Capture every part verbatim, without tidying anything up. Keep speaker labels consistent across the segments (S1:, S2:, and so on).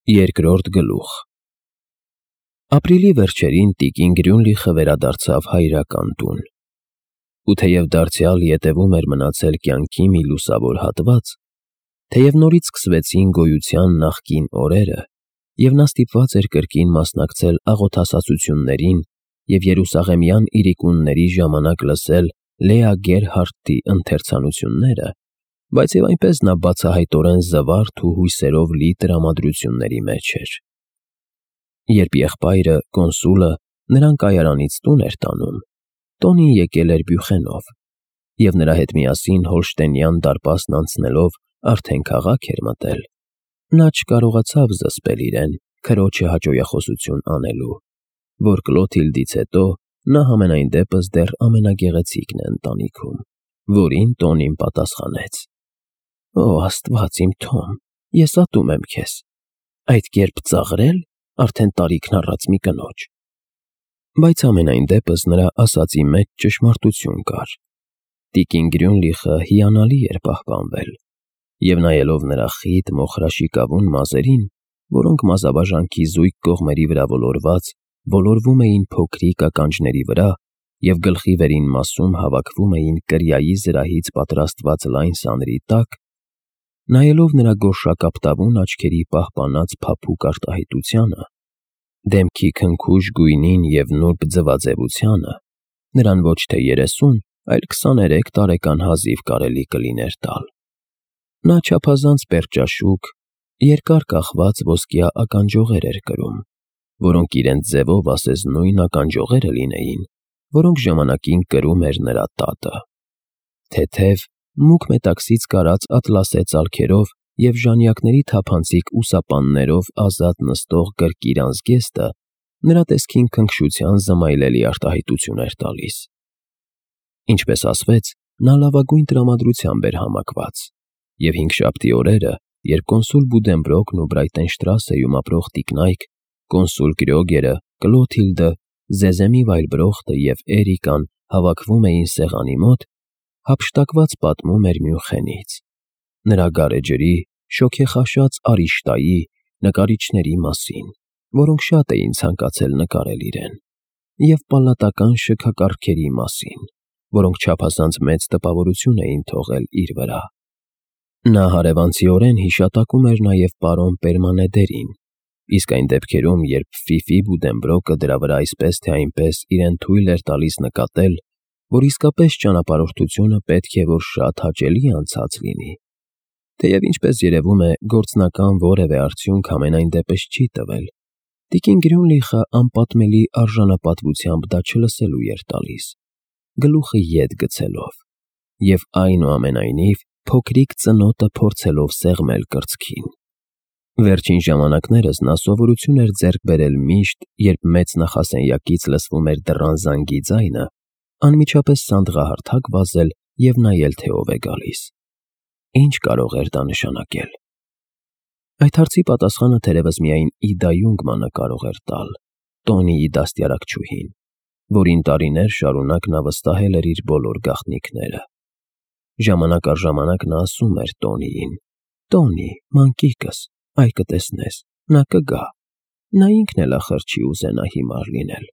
S1: Երկրորդ գլուխ Ապրիլի վերջերին տիկին Գրյունլիխը վերադարձավ հայրական տուն, ու թեև դարձյալ ետևում էր մնացել կյանքի մի լուսավոր հատված, թեև նորից սկսվեցին գոյության նախկին օրերը, և նա ստիպված էր կրկին մասնակցել աղոթասացություններին և երուսաղեմյան իրիկունների ժամանակ լսել Լեա Գերհարդտի ընթերցանությունները, բայց և այնպես նա բացահայտորեն զվարթ ու հույսերով լի տրամադրությունների մեջ էր։ Երբ եղբայրը, կոնսուլը, նրան կայարանից տուն էր տանում, Տոնին եկել էր Բյուխենով, և նրա հետ միասին Հոլշտեյնյան դարպասն անցնելով արդեն քաղաք էր մտել, նա չկարողացավ զսպել իրեն քրոջը հաճոյախոսություն անելու, որ Կլոթիլդից հետո նա համենայն դեպս դեռ ամենագեղեցիկն է ընտանիքում, որին Տոնին պատասխանեց. «Օ Աստված իմ Թոմ, ես ատում եմ քեզ, այդ կերպ ծաղրե՞լ արդեն տարիքն առած մի կնոջ»։ Բայց համենայն դեպս նրա ասածի մեջ ճշմարտություն կար։ Տիկին Գրյունլիխը հիանալի էր պահպանվել, և նայելով նրա խիտ մոխրաշիկավուն մազերին, որոնք մազաբաժանքի զույգ կողմերի վրա ոլորված, ոլորվում էին փոքրիկ ականջների վրա և գլխի վերին մասում հավաքվում էին կրիայի զրահից պատրաստված լայն սանրի տակ, նայելով նրա գորշակապտավուն աչքերի պահպանած փափուկ արտահայտությանը, դեմքի քնքուշ գույնին և նուրբ ձվաձևությանը, նրան ոչ թե երեսուն, այլ քսաներեք տարեկան հազիվ կարելի կլիներ տալ։ Նա չափազանց պերճաշուք, երկար կախված ոսկյա ականջողեր էր կրում, որոնք իրենց ձևով ասես նույն ականջողերը լինեին, որոնք ժամանակին կրում էր նրա տատը։ Թեթև, մուգ մետաքսից կարած ատլասե ծալքերով և ժանյակների թափանցիկ ուսապաններով ազատ նստող կրկիր անզգեստը նրա տեսքին քնքշության զմայլելի արտահայտություն էր տալիս։ Ինչպես ասվեց, նա լավագույն տրամադրությամբ էր համակված, և հինգշաբթի օրերը, երբ կոնսուլ Բուդենբրոկն ու Բրայտենշտրասեում ապրող տիկնայք, կոնսուլ Կրյոգերը, Կլոթիլդը, Զեզեմի Վայլբրոխտը և Էրիկան հավաքվում էին սեղանի մոտ, հափշտակված պատմում էր Մյունխենից, նրա գարեջրի, շոգեխաշած Արիշտայի, նկարիչների մասին, որոնք շատ էին ցանկացել նկարել իրեն, և պալատական շքակառքերի մասին, որոնք չափազանց մեծ տպավորություն էին թողել իր վրա։ Նա հարևանցիորեն հիշատակում էր նաև պարոն Պերմանեդերին, իսկ այն դեպքերում, երբ Ֆիֆի Բուդենբրոկը դրա վրա այսպես թե այնպես իրեն թույլ էր տալիս նկատել, որ իսկապես ճանապարհորդությունը պետք է որ շատ հաճելի անցած լինի, թեև ինչպես երևում է, գործնական որևէ արդյունք համենայն դեպս չի տվել, տիկին Գրյունլիխը անպատմելի արժանապատվությամբ դա չլսելու էր տալիս, գլուխը ետ գցելով, և այնուամենայնիվ փոքրիկ ծնոտը փորձելով սեղմել կրծքին։ Վերջին ժամանակներս նա սովորություն էր ձեռք բերել միշտ, երբ մեծ նախասենյակից լսվում էր դռան զանգի ձայնը, անմիջապես սանդղահարթակ վազել և նայել, թե ով է գալիս։ Ինչ կարող էր դա նշանակել։ Այդ հարցի պատասխանը թերևս միայն Իդա Յունգմանը կարող էր տալ, Տոնիի դաստիարակչուհին, որին տարիներ շարունակ նա վստահել էր իր բոլոր գաղտնիքները։ Ժամանակ առ ժամանակ նա ասում էր Տոնիին. «Տոնի, մանկիկս, այ կտեսնես, նա կգա, նա ինքն էլ ախր չի ուզենա հիմար լինել»։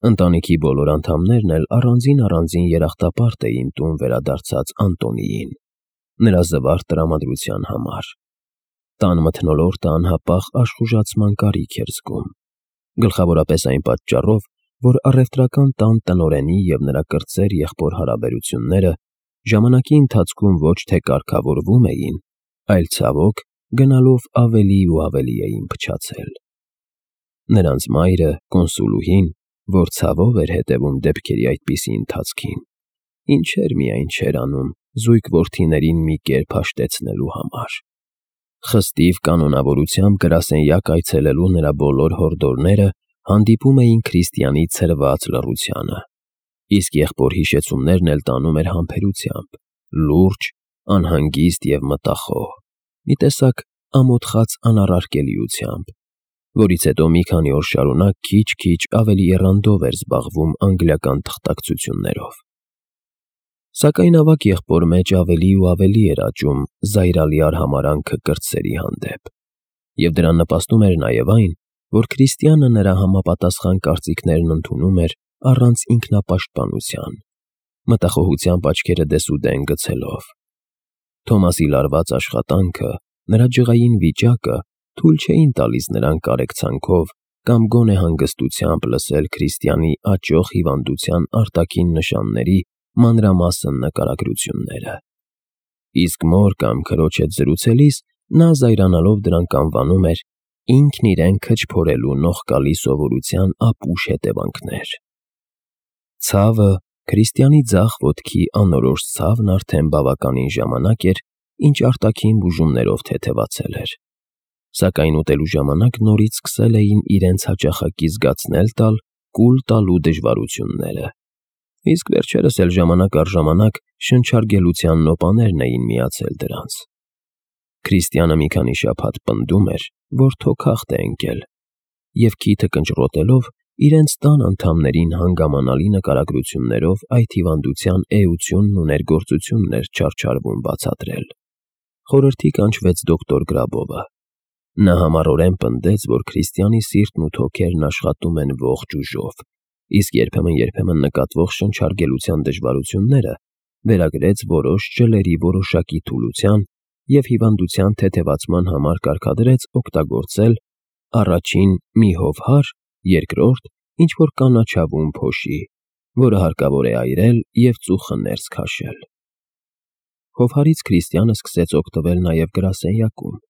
S1: Ընտանիքի բոլոր անդամներն էլ առանձին֊առանձին երախտապարտ էին տուն վերադարձած Անտոնիին, նրա զվարթ տրամադրության համար։ Տան մթնոլորտը անհապաղ աշխուժացման կարիք էր զգում, գլխավորապես այն պատճառով, որ առևտրական տան տնօրենի և նրա կրտսեր եղբոր հարաբերությունները ժամանակի ընթացքում ոչ թե կարգավորվում էին, այլ, ցավոք, գնալով ավելի ու ավելի էին փչացել։ Նրանց մայրը, կոնսուլուհին, որ ցավով էր հետևում դեպքերի այդպիսի ընթացքին, ինչեր միայն չէր անում զույգ որդիներին մի կերպ հաշտեցնելու համար։ Խստիվ կանոնավորությամբ գրասենյակ այցելելու նրա բոլոր հորդորները հանդիպում էին Քրիստիանի ցրված լռությանը, իսկ եղբոր հիշեցումներն էլ տանում էր համբերությամբ, լուրջ, անհանգիստ և մտախոհ, մի տեսակ ամոթխած անառարկելիությամբ, որից հետո մի քանի օր շարունակ քիչ-քիչ ավելի եռանդով էր զբաղվում անգլիական թղթակցություններով։ Սակայն ավագ եղբոր մեջ ավելի ու ավելի էր աճում զայրալի արհամարհանքը կրտսերի հանդեպ, Եվ դրան նպաստում էր նաև այն, որ քրիստիանը նրա համապատասխան կարծիքներն ընդունում էր առանց ինքնապաշտպանության, մտախոհությամբ աչքերը դեսուդեն գցելով։ Թոմասի լարված աշխատանքը, նրա ջղային վիճակը թույլ չէին տալիս նրան կարեկցանքով կամ գոնե հանգստությամբ լսել քրիստիանի աճող հիվանդության արտաքին նշանների մանրամասն նկարագրությունները։ Իսկ մոր կամ քրոջ հետ զրուցելիս նա զայրանալով դրանք անվանում էր ինքն իրեն քչփորելու նողկալի սովորության ապուշ հետևանքներ։ Ցավը, քրիստիանի ձախ ոտքի անորոշ ցավն արդեն բավականին ժամանակ էր, ինչ արտաքին բուժումներով թեթևացել էր, սակայն ուտելու ժամանակ նորից սկսել էին իրենց հաճախակի զգացնել տալ կուլ տալու դժվարությունները, իսկ վերջերս էլ ժամանակ առ ժամանակ շնչարգելության նոպաներն էին միացել դրանց։ Քրիստիանը մի քանի շաբաթ պնդում էր, որ թոքախտ է ընկել, և քիթը կնճռոտելով իրենց տան անդամներին հանգամանալի նկարագրություններով այդ հիվանդության էությունն ու ներգործությունն էր չարչարվում բացատրել։ Խորհրդի կանչվեց դոկտոր Գրաբովը։ Նա համառորեն պնդեց, որ քրիստիանի սիրտն ու թոքերն աշխատում են ողջ ուժով, իսկ երբեմն-երբեմն նկատվող շնչարգելության դժվարությունները վերագրեց որոշ ջլերի որոշակի թուլության և հիվանդության թեթևացման համար կարգադրեց օգտագործել առաջին մի հովհար, երկրորդ ինչ-որ կանաչավուն փոշի, որը հարկավոր է այրել և ծուխը ներս քաշել։ Հովհարից քրիստիանը սկսեց օգտվել նաև գրասենյակում,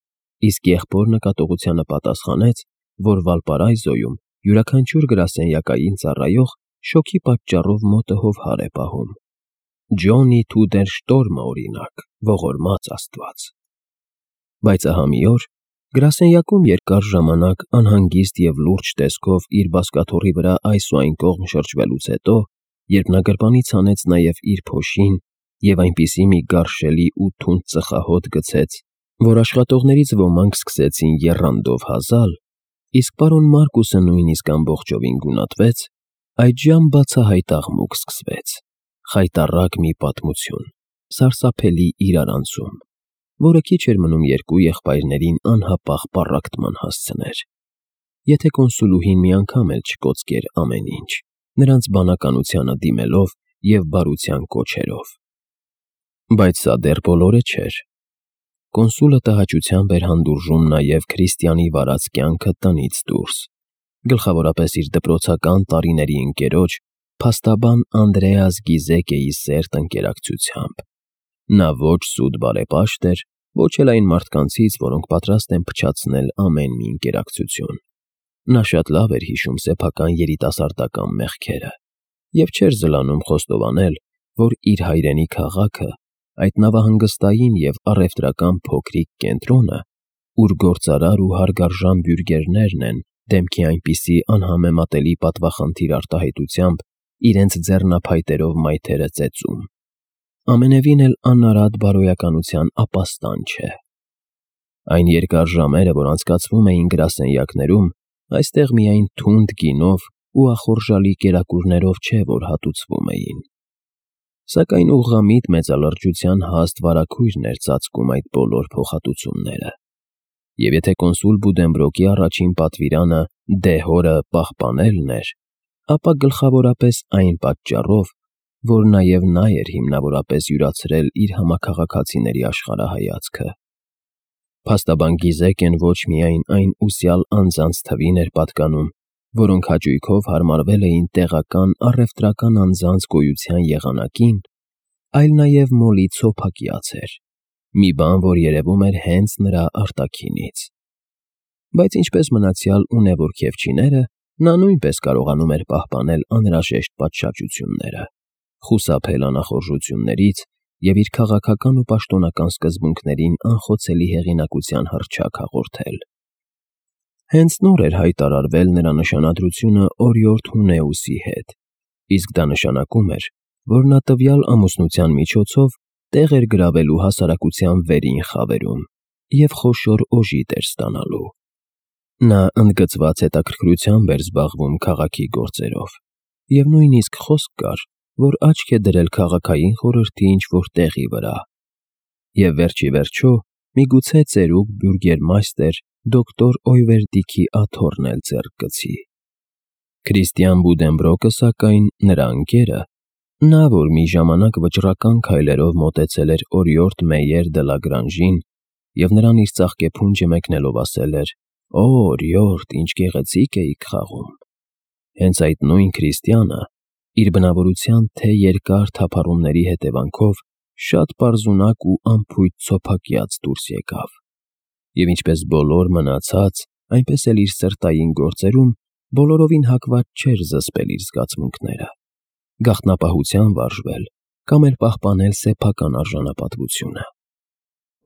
S1: իսկ եղբոր նկատողությանը պատասխանեց, որ Վալպարայզոյում յուրաքանչյուր գրասենյակային ծառայող շոգի պատճառով մոտը հովհար է պահում։ Ջոնի Թուդեր Շտորմը, օրինակ, ողորմած աստված։ Բայց ահա մի օր գրասենյակում երկար ժամանակ անհանգիստ և լուրջ տեսքով իր բազկաթոռի վրա այս ու այն կողմ շրջվելուց հետո, երբ նա գրպանից հանեց նաև իր փոշին և այնպիսի մի գարշելի ու թունդ ծխահոտ գցեց, որ աշխատողներից ոմանք սկսեցին եռանդով հազալ, իսկ պարոն Մարկուսը նույնիսկ ամբողջովին գունատվեց, այդժամ բացահայտ աղմուկ սկսվեց, խայտառակ մի պատմություն, սարսափելի իրարանցում, որը քիչ էր մնում երկու եղբայրներին անհապաղ պառակտման հասցներ, եթե կոնսուլուհին մի անգամ էլ չկոծկեր ամեն ինչ, նրանց բանականությանը դիմելով և բարության կոչերով։ Բայց սա դեռ բոլորը չէր։ Կոնսուլը տհաճությամբ էր հանդուրժում նաև քրիստիանի վարած կյանքը տնից դուրս, գլխավորապես իր դպրոցական տարիների ընկերոջ, փաստաբան Անդրեաս Գիզեկեի սերտ ընկերակցությամբ։ Նա ոչ սուտ բարեպաշտ էր, ոչ էլ այն մարդկանցից, որոնք պատրաստ են փչացնել ամեն մի ընկերակցություն։ Նա շատ լավ էր հիշում սեփական երիտասարդական մեղքերը և չէր զլանում խոստովանել, որ իր հայրենի քաղաքը, այդ նավահանգստային և առևտրական փոքրիկ կենտրոնը, ուր գործարար ու հարգարժան բյուրգերներն են դեմքի այնպիսի անհամեմատելի պատվախնդիր արտահայտությամբ իրենց ձեռնափայտերով մայթերը ծեծում, ամենևին էլ անարատ բարոյականության ապաստան չէ։ Այն երկար ժամերը, որ անցկացվում էին գրասենյակներում, այստեղ միայն թունդ գինով ու ախորժալի կերակուրներով չէ, որ հատուցվում էին։ Սակայն ուղղամիտ մեծալրջության հաստ վարագույրն էր ծածկում այդ բոլոր փոխհատուցումները։ Եվ եթե կոնսուլ Բուդենբրոկի առաջին պատվիրանը դեհորը պահպանելն էր, ապա գլխավորապես այն պատճառով, որ նաև նա էր հիմնավորապես յուրացրել իր համաքաղաքացիների աշխարհայացքը։ Փաստաբան Գիզեկեն ոչ միայն այն ուսյալ անձանց թվին էր պատկանում, որոնք հաճույքով հարմարվել էին տեղական առևտրական անձանց գոյության եղանակին, այլ նաև մոլի ցոփակյաց էր, մի բան, որ երևում էր հենց նրա արտաքինից։ Բայց ինչպես մնացյալ ունևոր քեֆչիները, նա նույնպես կարողանում էր պահպանել անհրաժեշտ պատշաճությունները, խուսափել անախորժություններից և իր քաղաքական ու պաշտոնական սկզբունքներին անխոցելի հեղինակության հռչակ հաղորդել։ Հենց նոր էր հայտարարվել նրա նշանադրությունը օրիորդ Հունեուսի հետ, իսկ դա նշանակում էր, որ նա տվյալ ամուսնության միջոցով տեղ էր գրավելու հասարակության վերին խավերում և խոշոր օժիտ էր ստանալու։ Նա ընդգծված հետաքրքրությամբ էր զբաղվում քաղաքի գործերով, և նույնիսկ խոսք կար, որ աչք է դրել քաղաքային խորհրդի ինչ-որ տեղի վրա, և վերջ ի վերջո միգուցե ծերուկ բյուրգերմայստեր դոկտոր Օյվերդիքի աթոռն էլ ձեռք գցի։ Քրիստիան Բուդենբրոկը, սակայն, նրա ընկերը, նա, որ մի ժամանակ վճռական քայլերով մոտեցել էր օրիորդ Մեյեր դը Լագրանժին և նրան իր ծաղկեփունջը մեկնելով ասել էր. «Օ, օրիորդ, ինչ գեղեցիկ էիք խաղում», հենց այդ նույն Քրիստիանը իր բնավորության թե երկար թափառումների հետևանքով շատ պարզունակ ու անփույթ ցոփակյաց դուրս եկավ, և ինչպես բոլոր մնացած, այնպես էլ իր սրտային գործերում բոլորովին հակված չէր զսպել իր զգացմունքները, գաղտնապահության վարժվել կամ էլ պահպանել սեփական արժանապատվությունը։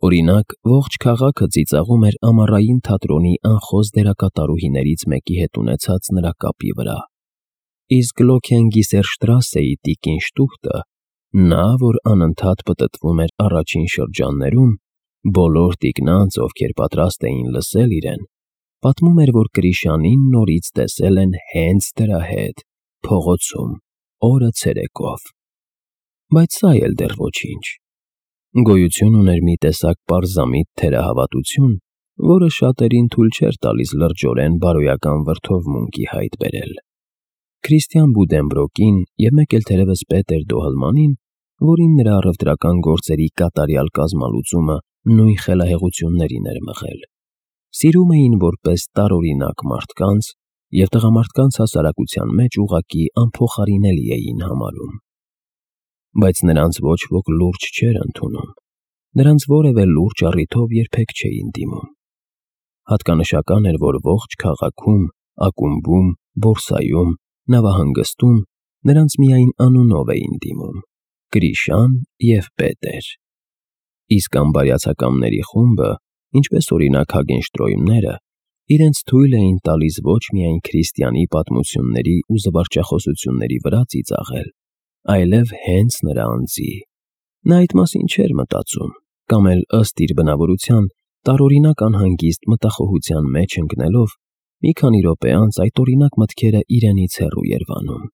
S1: Օրինակ, ողջ քաղաքը ծիծաղում էր ամառային թատրոնի անխոս դերակատարուհիներից մեկի հետ ունեցած նրա կապի վրա, իսկ Լոքենգիսերշտրասեի տիկին Շտուխտը, նա, որ անընդհատ պտտվում էր առաջին շրջաններում, բոլոր տիկնանց, ովքեր պատրաստ էին լսել իրեն, պատմում էր, որ Կրիշանին նորից տեսել են հենց դրա հետ, փողոցում, օրը ցերեկով։ Բայց սա էլ դեռ ոչինչ։ Գոյություն ուներ մի տեսակ պարզամիտ թերահավատություն, որը շատերին թույլ չէր տալիս լրջորեն բարոյական վրդովմունքի հայտ բերել։ Քրիստիան Բուդենբրոկին և մեկ էլ թերևս Պետեր Դոհլմանին, որին նրա առևտրական գործերի կատարյալ կազմալուծումը նույն խելահեղություններին էր մղել, սիրում էին որպես տարօրինակ մարդկանց և տղամարդկանց հասարակության մեջ ուղղակի անփոխարինելի էին համարում։ Բայց նրանց ոչ ոք լուրջ չէր ընդունում, նրանց որևէ լուրջ առիթով երբեք չէին դիմում։ Հատկանշական էր, որ ողջ քաղաքում, ակումբում, բորսայում, նավահանգստում նրանց միայն անունով էին դիմում՝ Կրիշան և Պետեր։ Իսկ ամբարյացակամների խումբը, ինչպես օրինակ Հագենշտրոյմները, իրենց թույլ էին տալիս ոչ միայն Քրիստիանի պատմությունների ու զվարճախոսությունների վրա ծիծաղել, այլև հենց նրա անձի։ Նա այդ մասին չէր մտածում, կամ էլ ըստ իր բնավորության տարօրինակ անհանգիստ մտախոհության մեջ ընկնելով, մի քանի րոպե անց այդ օրինակ մտքերը իրենից հեռու էր վանում։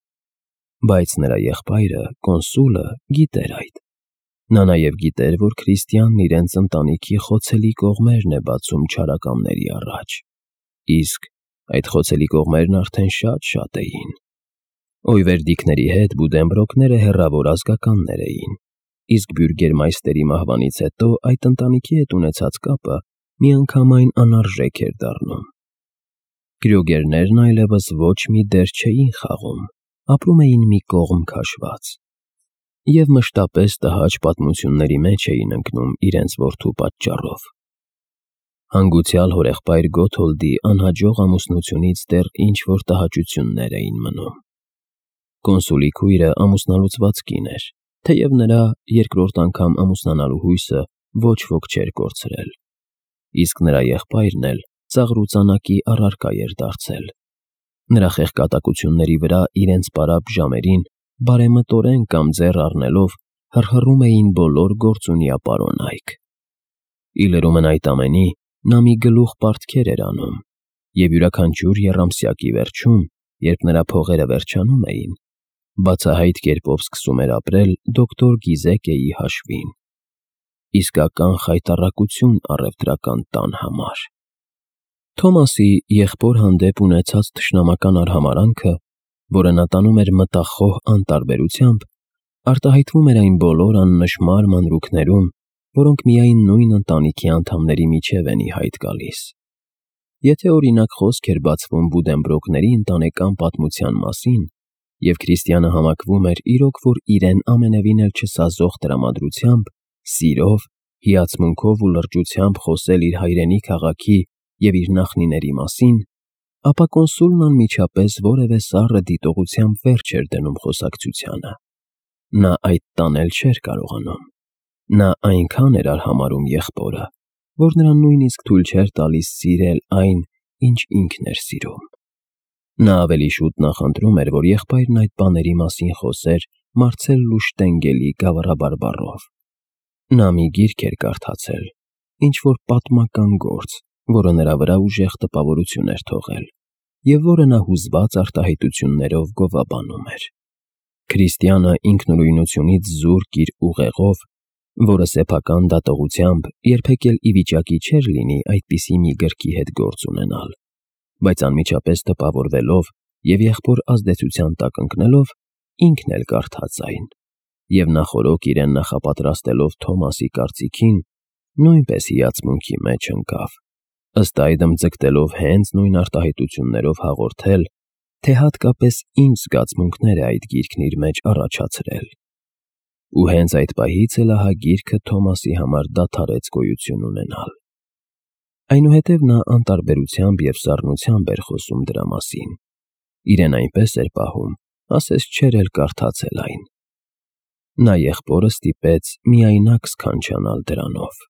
S1: Բայց նրա եղբայրը, կոնսուլը, գիտեր այդ։ Նա նաև գիտեր, որ Քրիստիանն իրենց ընտանիքի խոցելի կողմերն է բացում չարակամների առաջ, իսկ այդ խոցելի կողմերն արդեն շատ-շատ էին։ Օյվերդիկների հետ Բուդենբրոկները հեռավոր ազգականներ էին, իսկ բյուրգերմայստերի մահվանից հետո այդ ընտանիքի հետ ունեցած կապը միանգամայն անարժեք էր դառնում։ Կրյոգերներն այլևս ոչ մի դեր չէին խաղում, ապրում էին մի կողմ քաշված և մշտապես տհաճ պատմությունների մեջ էին ընկնում իրենց որդու պատճառով։ Հանգուցյալ հորեղբայր Գոթոլդի անհաջող ամուսնությունից դեռ ինչ-որ տհաճություններ էին մնում։ Կոնսուլի քույրը ամուսնալուծված կին էր, թեև նրա երկրորդ անգամ ամուսնանալու հույսը ոչ ոք չէր կորցրել, իսկ նրա եղբայրն էլ ծաղրուծանակի առարկա էր դարձել։ Նրա խեղկատակությունների վրա իրենց պարապ ժամերին բարեմտորեն կամ ձեռ առնելով հռհռում էին բոլոր գործունյա պարոնայք։ Ի լրումն այդ ամենի, նա մի գլուխ պարտքեր էր անում, և յուրաքանչյուր եռամսյակի վերջում, երբ նրա փողերը վերջանում էին, բացահայտ կերպով սկսում էր ապրել դոկտոր Գիզեկեի հաշվին։ Իսկական խայտառակություն առևտրական տան համար։ Թոմասի եղբոր հանդեպ ունեցած թշնամական արհամարհանքը, որը նա տանում էր մտախոհ անտարբերությամբ, արտահայտվում էր այն բոլոր աննշմար մանրուքներում, որոնք միայն նույն ընտանիքի անդամների միջև են ի հայտ գալիս։ Եթե օրինակ խոսք էր բացվում Բուդենբրոկների ընտանեկան պատմության մասին, և Քրիստիանը համակվում էր իրոք որ իրեն ամենևին էլ չսազող տրամադրությամբ, սիրով, հիացմունքով ու լրջությամբ խոսել իր հայրենի քաղաքի և իր նախնիների մասին, ապա կոնսուլն անմիջապես որևէ սառը դիտողությամբ վերջ էր դնում խոսակցությանը։ Նա այդ տանել չէր կարողանում։ Նա այնքան էր արհամարհում եղբորը, որ նրան նույնիսկ թույլ չէր տալիս սիրել այն, ինչ ինքն էր սիրում։ Նա ավելի շուտ նախընտրում էր, որ եղբայրն այդ բաների մասին խոսեր Մարցելլու Շտենգելի գավառաբարբառով։ Նա մի գիրք էր կարդացել, ինչ-որ պատմական գործ, որը նրա վրա ուժեղ տպավորություն էր թողել, և որը նա հուզված արտահայտություններով գովաբանում էր։ Քրիստիանը ինքնուրույնությունից զուրկ իր ուղեղով որը սեփական դատողությամբ երբեք էլ ի վիճակի չէր լինի այդպիսի մի գրքի հետ գործ ունենալ, բայց անմիջապես տպավորվելով և եղբոր ազդեցության տակ ընկնելով, ինքն էլ կարդաց այն, և նախօրոք իրեն նախապատրաստելով Թոմասի կարծիքին, նույնպես հիացմունքի մեջ ընկավ, ըստ այդմ ձգտելով հենց նույն արտահայտություններով հաղորդել, թե հատկապես ինչ զգացմունքներ է այդ գիրքն իր մեջ առաջացրել։ Ու հենց այդ պահից էլ ահա գիրքը Թոմասի համար դադարեց գոյություն ունենալ։ Այնուհետև նա անտարբերությամբ և սառնությամբ էր խոսում դրա մասին, իրեն այնպես էր պահում, ասես չէր էլ կարդացել այն։ Նա եղբորը ստիպեց միայնակ սքանչանալ դրանով։